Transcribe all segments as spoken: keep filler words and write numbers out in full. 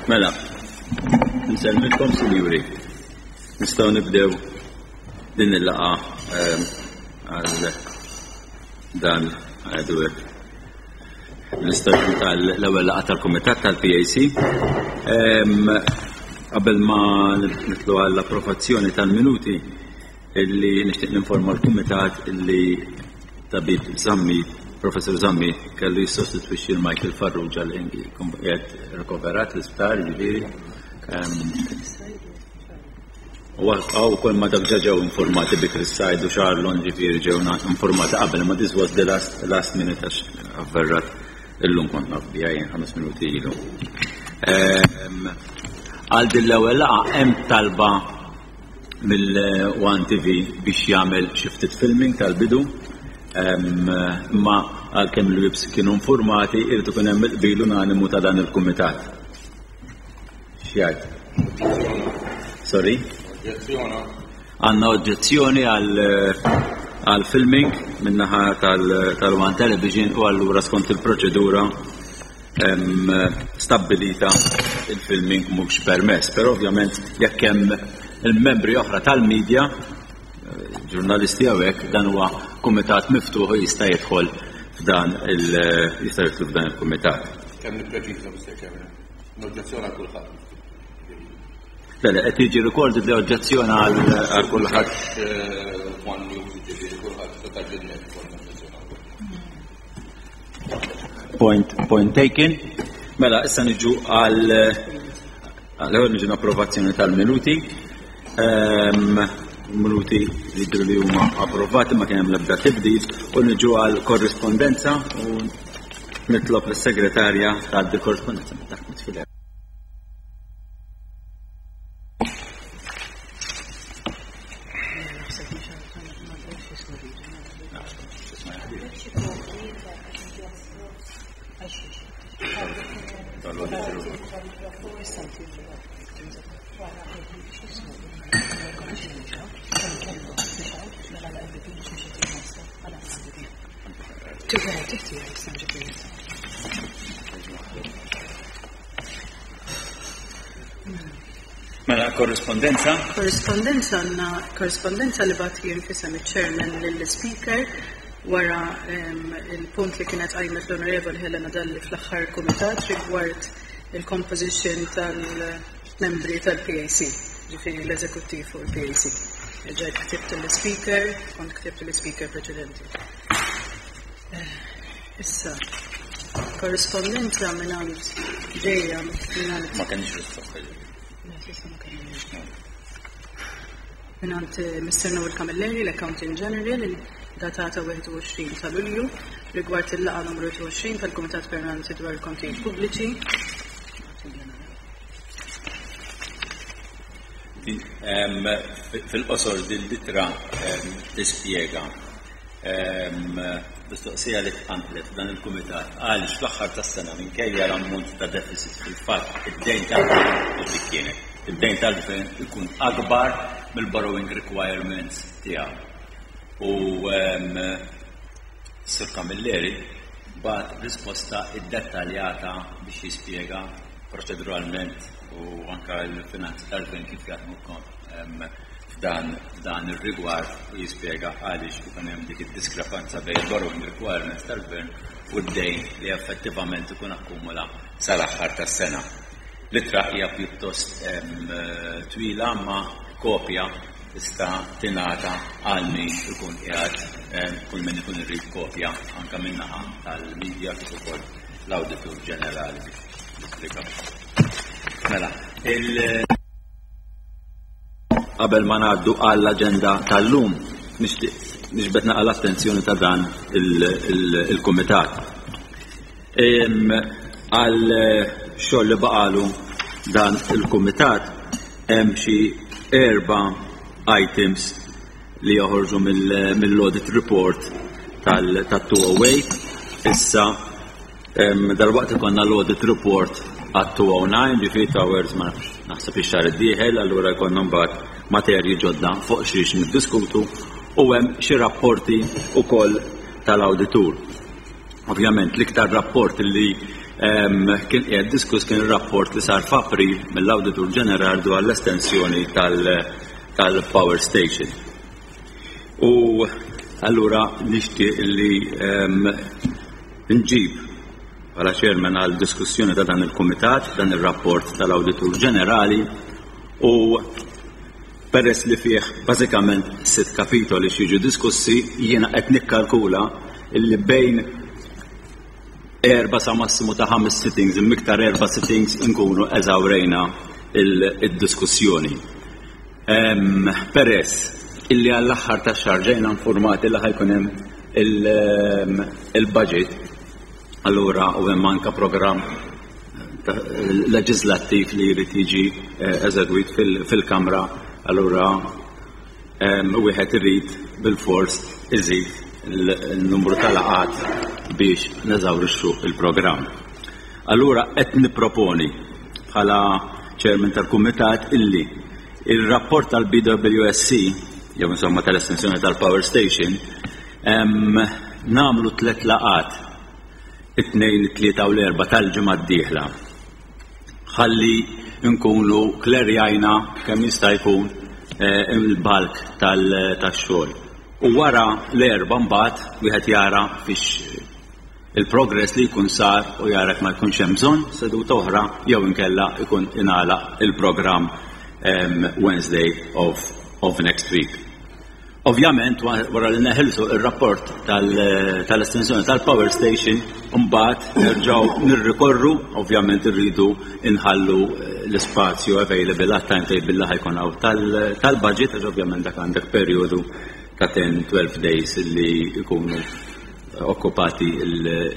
Mela, nsellmilkom, sinjuri. Nistgħu nibdew din il-laqgħa ehm, għal dan għadu l-istaġun tal-ewwel laqgħa tal-Kumitat tal-P A C. Ehm, qabel ma nidħlu għall-approvazzjoni tal-minuti, illi nixtieq ninforma l-Kumitat illi Tabib Zammit, Professor Zammit, kellu jissostitwixxi l-Michael Farrugia li qiegħed rikoverat l-isptar, ġifieri. Ehm, u għaw kol ma dak ġew informati bi Chris Said u Charlon, ġifieri ġew informati qabel, ma this was the last, last minute, għax avverrat illum, kont naf biha jien ħames minuti ilu. Ehm, għal din l-ewwel laqgħa hemm talba mill-One T V biex jagħmel xi ftit filming tal-bidu. Ehm, imma għalkemm il-whips kienu informati, irid ikun hemm il-qbil unanimu ta' dan il-kumitat. X'jgħid? Sorry? Għandna oġġezzjoni għal għal filming min-naħa tal-One Television u allura skont il-proċedura em, stabbilita il-filming mhux permess, però ovvjament jekk hemm il-membri oħra tal-medja, ġurnalisti hawnhekk, dan huwa kumitat miftuħ u jista' jidħol f'dan il jista' jidħol f'dan il-kumitat. Kemm nippreċiża, Mister Chairman? L-oġġezzjoni għal kulħadd. Le, le, qed jiġi recorded li oġġezzjoni għal għal kulħadd. Eh, One News, ġifieri kulħadd ta' ġinnet konna oġġezzjoni għal kulħadd. Point, point taken. Mela, issa niġu għal għal niġu l-approvazzjoni tal-minuti. Ehm, minuti li jidhru li huma approvati, ma kien hemm l-ebda tibdil, u niġu għal korrispondenza u nitlob lis-segretarja tgħaddi korrispondenza. Ma taħmet fil- Mela, korrispondenza. Korrispondenza, għandna korrispondenza li bgħatt jien f'isem il-chairman lill-speaker wara em, il-punt li kienet qajmet l-Onorevoli Helena Dalli fl-aħħar kumitat rigward il-composition tal-membri tal-P A C, ġifieri l-eżekuttiv u l-P A C. Ġejt ktibt l-speaker, kont ktibt l-speaker preċedenti. Eh, Issa, korrispondenza mingħand ġejja mingħand Ma kenix risposta. Le, s'issa ma kellniex. Mingħand eh, Mister Noel Camilleri, l-Accountant General, datata wieħed u għoxrin ta' Lulju, rigward il-laqgħa numru tnejn u għoxrin tal-Kumitat Permanenti dwar il-Kontijiet Pubbliċi. Din, em, Fil-qosor din l-ittra em, tispjega em, mistoqsija li tqanqlet dan il-kumitat għaliex fl-aħħar tas-sena, minkejja l-ammont ta' deficit, fil-fatt id-dejn tal-gvern, u dik kienet, id-dejn tal-gvern ikun akbar mill-borrowing requirements tiegħu. U em, Sir Camilleri bagħat risposta iddettaljata biex jispjega proċeduralment u anka l-finanzi tal-gvern kif jaħdmu em, f'dan f'dan ir-rigward u jispjega għaliex ikun hemm dik id-diskrepanza bejn borrowing requirements tal-gvern u d-dejn li effettivament ikun akkumula sal-aħħar tas-sena. L-ittra hija pjuttost em, twila, ma kopja tista' tingħata għal min ikun qiegħed em, kull min ikun irid kopja, anke min-naħa tal-medja kif ukoll l-Awditur Ġenerali biex jispjega. Mela, il qabel ma ngħaddu għall-aġenda tal-lum, nixtieq niġbed naqra l-attenzjoni ta' dan il-kumitat. Għal xogħol li baqalu dan il-kumitat, hemm xi erba' items li joħorġu mill-audit report tal-elfejn u tmienja. Issa dal-waqt ikonna l-audit report għat-elfejn u disgħa, ġifieri towers ma nafx, naħseb ix-xahar id-dieħel, allura jkollna mbagħad materji ġodda fuq xiex niddiskutu u hemm xi rapporti wkoll tal-awditur. Ovvjament l-iktar rapport li kien qiegħed diskuss kien ir-rapport li sar f'April mill-Awditur Ġenerali dwar l-estensjoni tal-Power Station. U allura nixtieq li nġib bħala chairman għal diskussjoni ta' dan il-kumitat, dan ir-rapport tal-Awditur Ġenerali, u peress li fih bażikament sitt kapitoli x'jiġu diskussi, jiena qed nikkalkula illi bejn erba' sa massimu ta' ħames sittings, imiktar erba' sittings, nkunu eżawrejna il-diskussjoni. Peress illi għall-aħħar ta' xahar ġejna informati li ħa jkun hemm il-budget, allura u hemm anka programm leġislattiv li jrid jiġi eżegwit fil-Kamra, allura wieħed irid bil-fors iżid il-numru tal-laqgħat biex neżawrixxu il-programm. Allura qed nipproponi bħala chairman tal-kumitat illi il-rapport tal-B W S C, jew insomma tal-estensjoni tal-Power Station, nagħmlu tliet laqgħat, it-tnejn, it-tlieta u l-erba' tal-ġimgħa d-dieħla. Ħalli nkunu klerjajna kemm jista' jkun il-bulk tax-xogħol. U wara l-erba' mbagħad wieħed jara fiex il-progress li jkun sar u jara ma jkunx hemm bżonn seduta oħra jew inkella ikun ingħalaq il-programm Wednesday of, of next week. Ovvjament, wara li neħilsu il-rapport tal-estensjoni tal-Power Station, mbagħad nerġgħu nirrikorru, ovvjament irridu inħallu l-ispazju available għat-timetable li ħa jkun hawn tal-budget, għax ovvjament dak għandek perjodu ta' ten twelve days li jkunu okkupati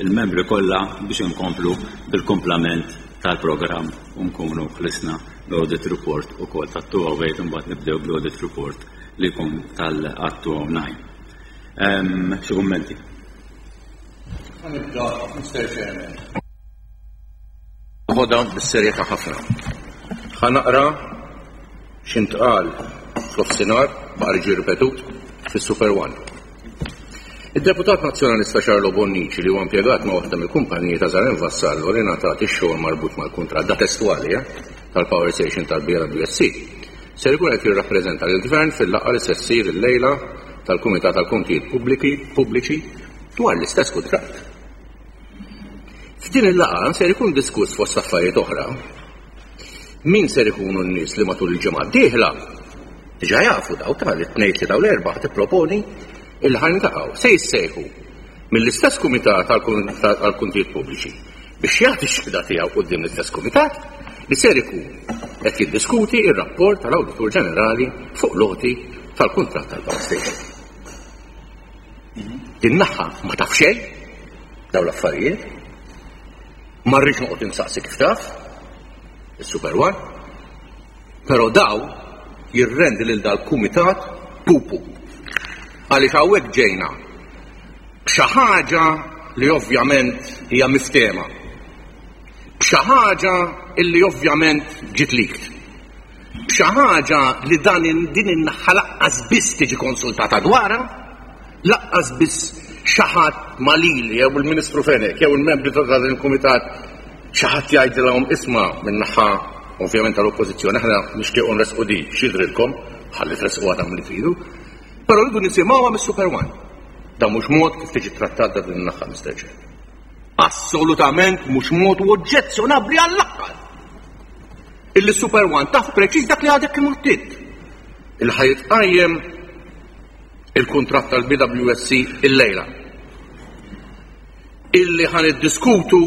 il-membri kollha biex inkomplu bil-komplament tal-programm u nkunu ħlisna l-audit report ukoll tat-two oh eight, mbagħad nibdew bl-audit report li jkun tal-two oh nine. Xi kummenti? Nibda, Mister Chairman. Ħoda bis-serjetà ħafna. Ħa naqra x'intqal fl-offsinar, baqa' ġie ripetut fis-Super One. Id-deputat nazzjonalista Charlo Bonnici, li huwa impjegat ma' waħda mill-kumpaniji ta' Zaren Vassallo li ngħatat ix-xogħol marbut mal-kuntratt da testwali eh, tal-Power Station tal-B W S C, ser ikun qed jirrappreżenta lill-Gvern fil-laqgħa li se ssir illejla tal-Kumitat tal-Kontijiet Pubbliċi dwar l-istess kuntratt. F'din il-laqgħa ser ikun diskuss, fost affarijiet oħra, min ser ikunu n-nies li matul il-ġimgħa d-dieħla, diġà jafu daw tal-tnejn, tlieta u l-erba', tipproponi il ħa niltaqgħu, se jissejħu mill-istess kumitat għal-kontijiet pubbliċi biex jagħti x-xhieda tiegħu quddiem l-istess kumitat li ser ikun qed jiddiskuti ir-rapport tal-Awditur Ġenerali fuq l-għoti tal-kuntratt tal-Power Station. Din naħa ma taf xejn daw l-affarijiet, ma rridx noqgħod insaqsi kif taf, is-Super One, però daw jirrendi lil dal-kumitat pupu. Għaliex hawnhekk ġejna b'xi ħaġa li ovvjament hija miftema. B'xi ħaġa illi ovvjament ġiet leaked. B'xi ħaġa li dan din in-naħa lanqas biss tiġi konsultata dwarha, lanqas biss xi ħadd ma lili jew il-Ministru Fenech jew il-membri ta' dan il-kumitat xi ħadd jgħidilhom, "Isma', min-naħa ovvjament tal-Oppożizzjoni aħna nixtiequ nresqu di, x'jidrilkom?" Ħalli tresqu għadha li tridu. Però rridu nisimgħuha mis-Super One. Dan mhux mod kif tiġi trattata din in-naħa, Mister Chair. Assolutament mhux mod u oġġezzjonabbli għall-aħħar. Illi Super One taf preċiż dak li għadek kemm għattit. Il ħa jitqajjem il-kuntratt tal-B W S C illejla. Illi ħa niddiskutu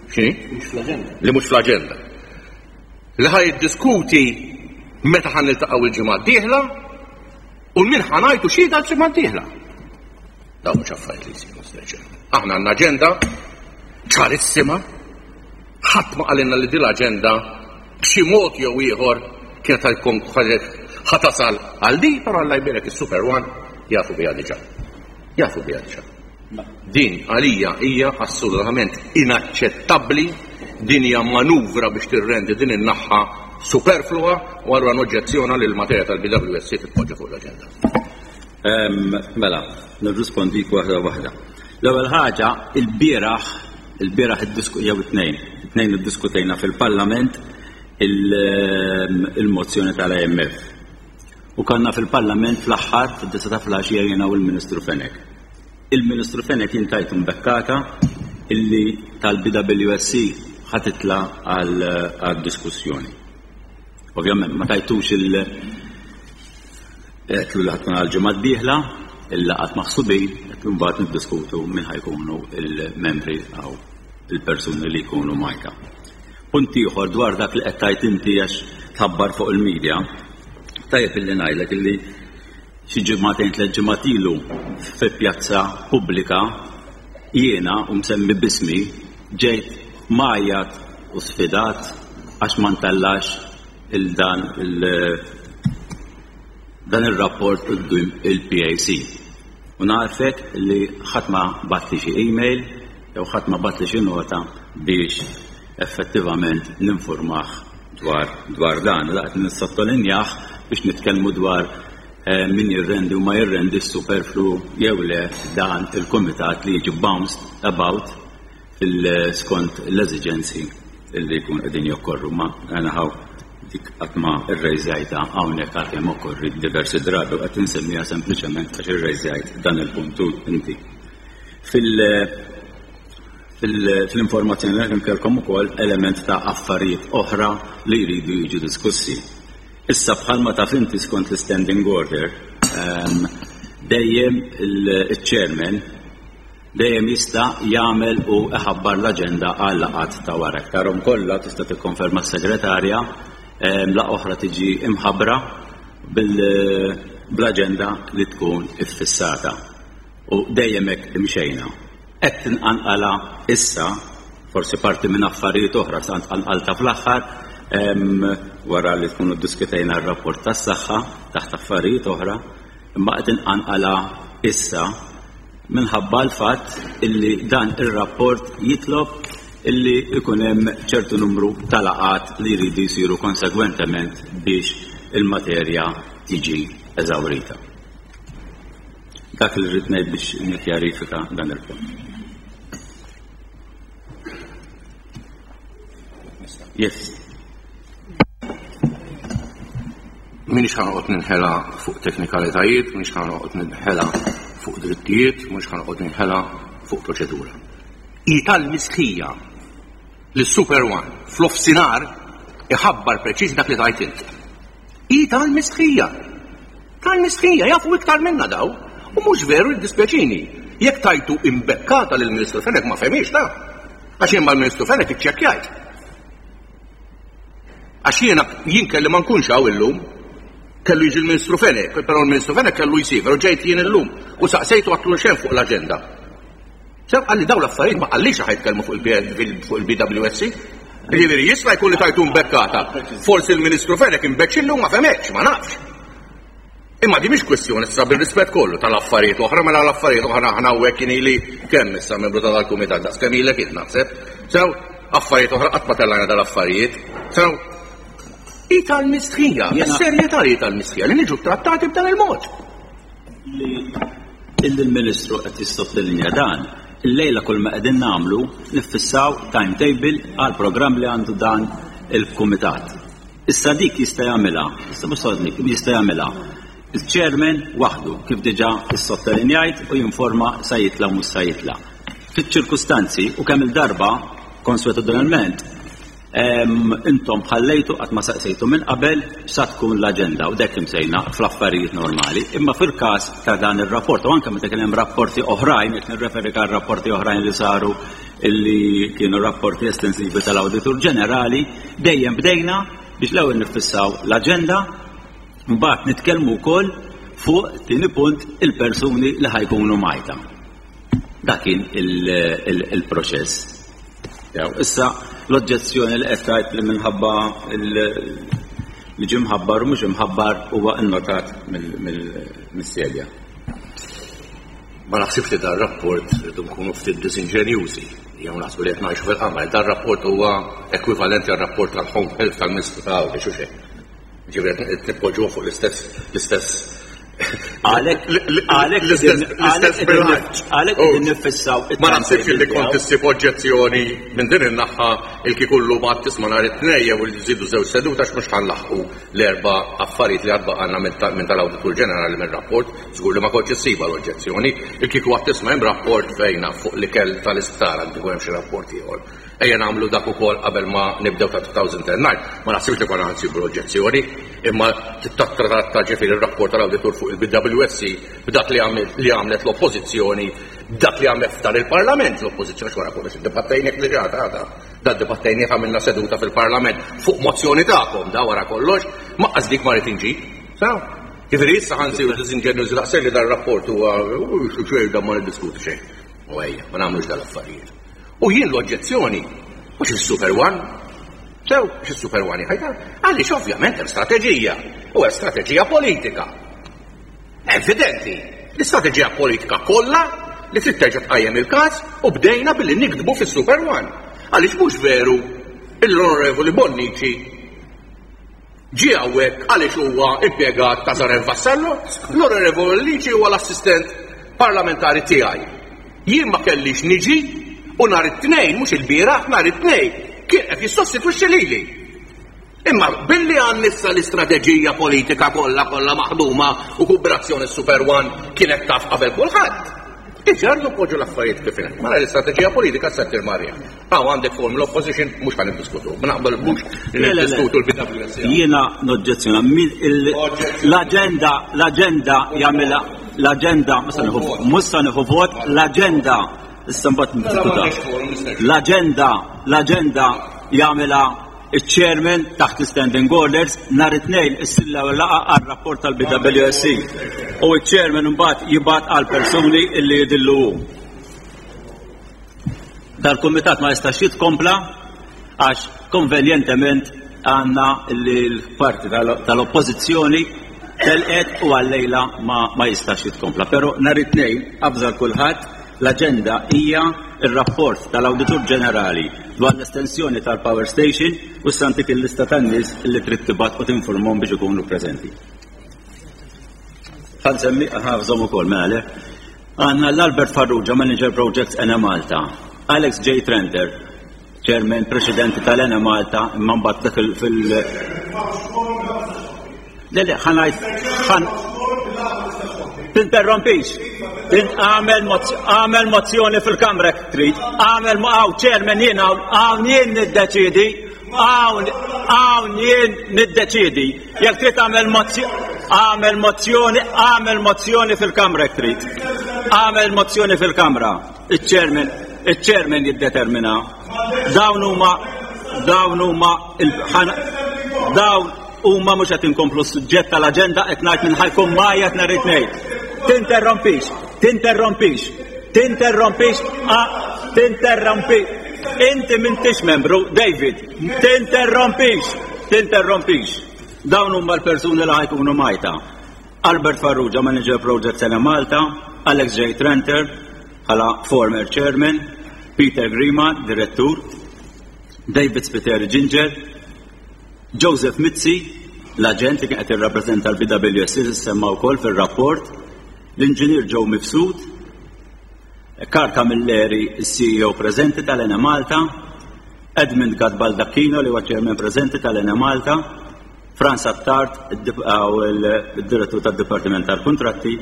x'inhi? Li mhux fl-aġenda. Li ħa jiddiskuti meta ħa niltaqgħu il-ġimgħa d-dieħla u min ħa ngħidu xhieda l-ġimgħa d-dieħla. Dawn mhux affarijiet li jsiru, Mister Chairman. Aħna għandna aġenda ċarissima, ħadd ma qalilna li din l-aġenda b'xi mod jew ieħor kienet tkun ħa tasal għal di, però Alla jbierek, is-Super One jafu biha diġà. Jafu biha diġà. Din għalija hija assolutament inaċċettabbli, din hija manuvra biex tirrendi din in-naħħa superflua u allura noġġezzjona li l-materja tal-B W S C titpoġġa fuq l-aġenda. Mela, nirrispondik waħda waħda. L-ewwel ħaġa, il-bieraħ Il-bieraħ jew it-tnejn, it-tnejn iddiskutejna fil-Parlament il-mozzjoni tal-I M F. U kanna fil-Parlament fl-aħħar fid-disgħa ta' filgħaxija jiena u l-Ministru Fenech. Il-Ministru Fenech jien tajtu mbekkata illi tal-B W S C ħa titla' għal diskussjoni. Ovvjament ma tajtux il- għedtlu li ħa tkun għal-ġimgħa d-dieħla, il-laqgħat maħsubin, għedtlu mbagħad niddiskutu min ħa jkunu il-membri għaw il-persuni li jkunu mgħajta. Punt ieħor dwar dak li qed tajt inti għax tħabbar fuq il-medja, tajjeb illi ngħidlek illi xi ġimagħtejn, tliet ġimgħat ilu, fi pjazza pubblika jiena u msemmi bismi ġejt mgħajjat u sfidat għax ma ntellax il-dan il dan il-rapport quddiem il-P A C. U nagħrfek li ħadd ma bagħatli xi email jew ħadd ma bagħatli xi nota biex effettivament ninformah dwar dwar dan. Laqt nissottolinjah biex nitkellmu dwar eh, min jirrendi u ma jirrendi superflu jew le dan il-komitat li jiġi bounced about fil-skont l-eżigenzi li jkun qegħdin jokkorru, ma għana dik qatt ma rrejżajtha hawnhekk għalkemm okkorri diversi drabi u qed insemmiha sempliċement għax irrejżajt dan il-puntu inti. Fil- Fil-informazzjoni li kellkom ukoll element ta' affarijiet oħra li jridu jiġu diskussi. Issa, bħalma taf inti, skont l-standing order, ehm, dejjem il-chairman dejjem jista' jagħmel u iħabbar l-aġenda għal laqgħat ta' wara. Tarhom kollha, tista' tikkonferma s-segretarja, ehm, la oħra tiġi imħabbra bl-aġenda li tkun iffissata. U dejjem hekk imxejna. Qed tinqanqala issa, forsi parti minn affarijiet oħra sa tqanqalta fl-aħħar wara li tkunu ddiskutejna r-rapport tas-saħħa taħt affarijiet oħra, imma qed inqanqala issa minħabba l-fatt illi dan ir-rapport jitlob illi ikun hemm ċertu numru ta' laqgħat li jridu jsiru konsegwentement biex il-materja tiġi eżawrita. Dak li rrid ngħid biex nikkjarifika dan il-punt. Yes. Minix ħa noqgħod ninħela fuq teknikalitajiet, minix ħa noqgħod ninħela fuq drittijiet, mhux ħa noqgħod ninħela fuq proċedura. Hi tal-mistħija li Super One f'nofsinhar iħabbar preċiż dak li tajt int. Hi tal-mistħija. Tal-mistħija, jafu iktar minna daw. U mhux veru, jiddispjaċini. Jekk tajtu imbekkata lill-Ministru Fenech, ma fehmix ta' għax jien mal-Ministru Fenech iċċekkjajt. Għax jiena jien kelli ma nkunx hawn illum, kellu jiġi l-Ministru Fenech, però l-Ministru Fenech kellu jsiefer u ġejt jien illum u saqsejtu, għedtlu x'hemm fuq l-aġenda. Sew qalli daw l-affarijiet, ma qallix ħa jitkellmu fuq il-B W S C. Ġifieri jista' jkun li tajtu mbekkata. Forsi l-Ministru Fenech imbeċillu ma fehmekx, ma nafx. Imma di mhix kwestjoni issa, bil-rispett kollu, tal-affarijiet oħra, mela l-affarijiet oħra aħna hawnhekk kien ili kemm issa membru tal-kumitat, daqs kemm ilek int naħseb. Sew, affarijiet oħra qatt ma tellajna dal-affarijiet. Sew, hi tal-mistħija, serjetà li tal-mistħija li niġu trattati b'dan il-mod. Li il-Ministru qed jissottolinja dan, illejla kull ma qegħdin nagħmlu niffissaw timetable għal programm li għandu dan il-kumitat. Issa dik jista' jagħmilha, issa mhux jista' jagħmilha il-chairman waħdu, kif diġà issottolinjajt, u jinforma sa jitla' mhux sa jitla'. Fiċ-ċirkustanzi u kemm il-darba konswetudinalment intom ħallejtu, qatt ma saqsejtu minn qabel sa tkun l-aġenda u dak imsejna fl-affarijiet normali. Imma fil-każ ta' dan ir-rapport u anke meta kien hemm rapporti oħrajn, qed nirreferi għal rapporti oħrajn li saru illi kienu rapporti estensivi tal-Awditur Ġenerali, dejjem bdejna biex l-ewwel nifissaw l-aġenda, mbagħad nitkellmu wkoll fuq tieni punt il-persuni li ħa jkunu mgħajta. Dak kien il-proċess. Issa l-oġġezzjoni li qed tgħid li minħabba li ġie mħabbar u mhux imħabbar huwa innotat mill-sedja. Ma naħsibx li dar rapport rridu nkunu ftit disinġenjużi jew naħsbu li qed ngħixu fil-qamar. Dar rapport huwa ekwivalenti għal rapport tal-Home Health tal-Ministru ta' Għawdex u xejn. Ġifieri qed nippoġġuh fuq l-istess l-istess Għalek, għalek, L-istess bilanċ. Għalek qegħdin niffissaw. Ma naħsibx li kont issib oġġezzjoni minn din in-naħa il-kikullu ma tisma' nhar it-tnejn jew li żidu żewġ seduta għax mhux ħanlaħqu l-erba' affarijiet li għad baqgħalna minn tal-Awditur Ġenerali mir-rapport, żgur li ma kontx issibha l-oġġezzjoni. Il-kieku għad tisma' hemm rapport fejna fuq l-ikel tal-isptar għad ikun hemm xi rapport ieħor. Ejja nagħmlu dak ukoll qabel ma nibdew ta' two thousand nine. Ma naħsibx li konna nsibu l-oġġezzjoni, imma titratta ġifieri ir-rapport tal-awditur fuq il-B W S C b'dak li li għamlet l-oppożizzjoni, dak li għamlet f'dan il-Parlament l-oppożizzjoni wara kollox iddibattejnieh li ġata għada. Da dibattejnieh, għamilna seduta fil-Parlament fuq mozzjoni tagħkom da wara kollox, ma dik ma rrid inġib. Saw? Ġifieri issa ħa nsiru disinġenjużi daqshekk li dar rapport huwa xejn da ma niddiskutu xejn. U ejja, ma nagħmlux dal-affarijiet. U jien l-oġġezzjoni, mhux il-Super One, sew, mhux il-Super One ħajta, għaliex ovvjament hemm strateġija, u hemm strateġija politika. Evidenti, l-istrateġija politika kollha li trid terġa' tqajjem il-każ u bdejna billi nikdbu fis-Super One. Għaliex mhux veru l-Onorevoli Bonnici ġie hawnhekk għaliex huwa impjegat ta' Zaren Vassallo, l-Onorevoli Bonnici huwa l-assistent parlamentari tiegħi. Jien ma kellix niġi u nhar it-tnejn, mhux il-bieraħ, nhar it-tnejn, kien qed jissostitwixxi lili. Imma billi għan nissa l-istrateġija politika kollha kollha maħduma u kooperazzjoni Super One kienet taf qabel kulħadd. Iġardu poġġu l-affarijiet kif inhi. Mela l-istrateġija politika se tirmarja. Hawn għandek formal opposition, mhux ħan niddiskutu. Ma naqbel mhux niddiskutu l-B W S C. Jiena noġġezzjona l-aġenda l-aġenda jagħmilha l-aġenda mhux se nieħu vot l-aġenda issa mbagħad niddiskuta. L-aġenda l-aġenda jagħmilha il-chairman taħt standing orders. Nhar it-tnejn issir laqgħa għal-rapport tal-B W S C u il-chairman mbagħad jibgħat għal persuni illi jidillu hu. Dal-kumitat ma jistax jitkompla għax konvenjentement għandna li l-parti tal-oppożizzjoni telqet u għallejla ma, ma jistax jitkompla. Pero nhar it-tnejn abżal kulħadd, l-aġenda hija il-rapport tal-Awditur Ġenerali dwar l-estensjoni tal-Power Station u s-santik il-lista tan-nies li trid tibgħat u tinformhom biex ikunu preżenti. Ħa nsemmi ħafżhom ukoll mela. Għandna l-Albert Farrugia, Manager Projects Enemalta, Alex J. Trenter, Chairman Presidenti tal-Enemalta, imma mbagħad dak fil- Le, le, ħa ngħid, ħan. Tinterrompix. Għamel mozzjoni fil-kamra trid. Għamel, hawn chairman jien, hawn jien niddeċidi. Hawn hawn jien niddeċidi. Jekk trid għamel mozzjoni, għamel mozzjoni, għamel mozzjoni fil-kamra trid. Għamel mozzjoni fil-kamra. Il-chairman, il-chairman jiddetermina. Dawn huma dawn huma dawn huma mhux qed inkomplu s-suġġett tal-aġenda, qed ngħid minn ħa jkun magħja nhar it-tnejn. Tinterrompix, tinterrompix, tinterrompix, tinterrompi. Inti m'intix membru, David, tinterrompix, tinterrompix. Dawn huma l-persuni li ħa jkunu Malta. Albert Farrugia, Manager Project Enemalta, Alex J. Trenter, bħala former chairman, Peter Grima, direttur, David Spiteri Ginger, Joseph Mizzi, l-agent li kien qed jirrappreżenta l-B W S C semma wkoll fir-rapport, l-inġinier Joe Mifsud, Karl Camilleri, C E O preżenti tal-Enemalta, Edmund Gatt Baldacchino li huwa chairman preżenti tal-Enemalta, Franz Attard, il-direttur tad-Dipartiment tal-Kontratti,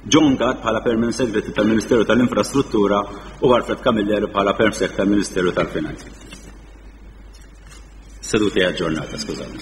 John Gatt bħala Permanent Secretary tal-Ministeru tal-Infrastruttura u Alfred Camilleri bħala Perm Sec tal-Ministeru tal-Finanzi. Seduta aġġornata, skużawni.